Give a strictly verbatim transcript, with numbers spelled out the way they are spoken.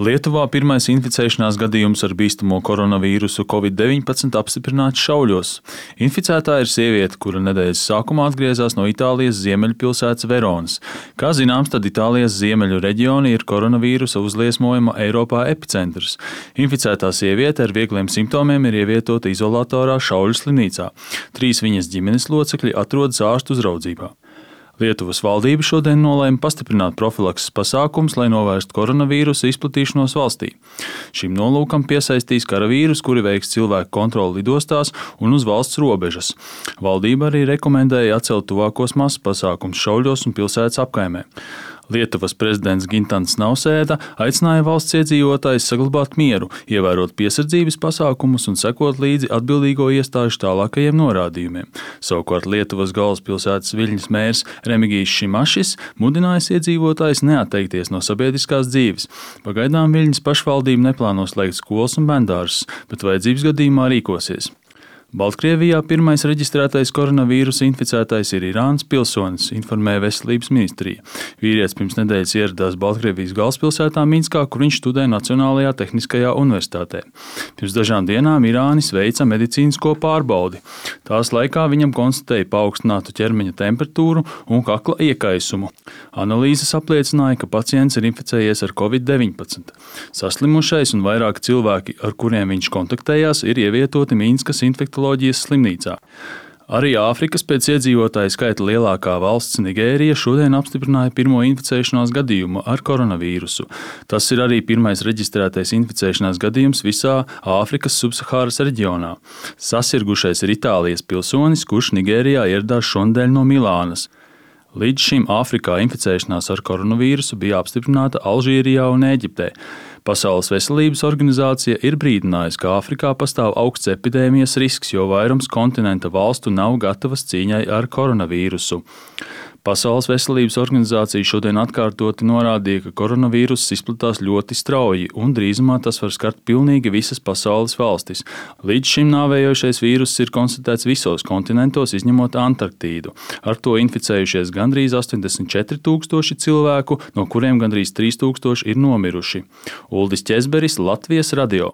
Lietuvā pirmais inficēšanās gadījums ar bīstamo koronavīrusu covid deviņpadsmit apstiprināts Šauļos. Inficētā ir sieviete, kura nedēļas sākumā atgriezās no Itālijas ziemeļpilsētas Veronas. Kā zināms, tad Itālijas ziemeļu reģioni ir koronavīrusa uzliesmojuma Eiropā epicentrs. Inficētā sieviete ar viegliem simptomiem ir ievietota izolatorā Šauļu slimnīcā. Trīs viņas ģimenes locekļi atrodas ārstu uzraudzībā. Lietuvas valdība šodien nolēma pastiprināt profilakses pasākumus, lai novērstu koronavīrusa izplatīšanos valstī. Šim nolūkam piesaistīs karavīrus, kuri veiks cilvēku kontroli lidostās un uz valsts robežas. Valdība arī rekomendēja atcelt tuvākos masas pasākumus Šauļos un pilsētas apkaimē. Lietuvas prezidents Gintans Nausēda aicināja valsts iedzīvotājus saglabāt mieru, ievērot piesardzības pasākumus un sekot līdzi atbildīgo iestāžu tālākajiem norādījumiem. Savukārt Lietuvas galvaspilsētas Viļņas mērs Remigijs Šimašis mudinājis iedzīvotājus neatteikties no sabiedriskās dzīves. Pagaidām Viļņas pašvaldība neplāno slēgt skolas un bērndārzus, bet vajadzības gadījumā rīkosies. Baltkrievijā pirmais reģistrētais koronavīrusa inficētais ir Irānas pilsonis, informēja Veselības ministrija. Vīrietis pirms nedēļas ieradās Baltkrievijas galvaspilsētā Minskā, kur viņš studē Nacionālajā tehniskajā universitātē. Pirms dažām dienām Irānis veica medicīnisko pārbaudi. Tās laikā viņam konstatēja paaugstinātu ķermeņa temperatūru un kakla iekaisumu. Analīzes apliecināja, ka pacients ir inficējies ar covid deviņpadsmit. Saslimušais un vairāki cilvēki, ar kuriem viņš kontaktējās, ir ievietoti Minskas infektoloģijas slimnīcā. Arī Āfrikas pēc iedzīvotāju skaita lielākā valsts Nigērija šodien apstiprināja pirmo inficēšanās gadījumu ar koronavīrusu. Tas ir arī pirmais reģistrētais inficēšanās gadījums visā Āfrikas subsahāras reģionā. Sasirgušais ir Itālijas pilsonis, kurš Nigērijā ieradās šonadēļ no Milānas. Līdz šim Āfrikā inficēšanās ar koronavīrusu bija apstiprināta Alžīrijā un Ēģiptē. Pasaules veselības organizācija ir brīdinājusi, ka Āfrikā pastāv augsts epidēmijas risks, jo vairums kontinenta valstu nav gatavas cīņai ar koronavīrusu. Pasaules veselības organizācija šodien atkārtoti norādīja, ka koronavīruss izplatās ļoti strauji un drīzumā tas var skart pilnīgi visas pasaules valstis. Līdz šim nāvējošais vīruss ir konstatēts visos kontinentos, izņemot Antarktīdu. Ar to inficējušies gandrīz astoņdesmit četri tūkstoši cilvēku, no kuriem gandrīz trīs tūkstoši ir nomiruši. Uldis Ķezberis, Latvijas radio.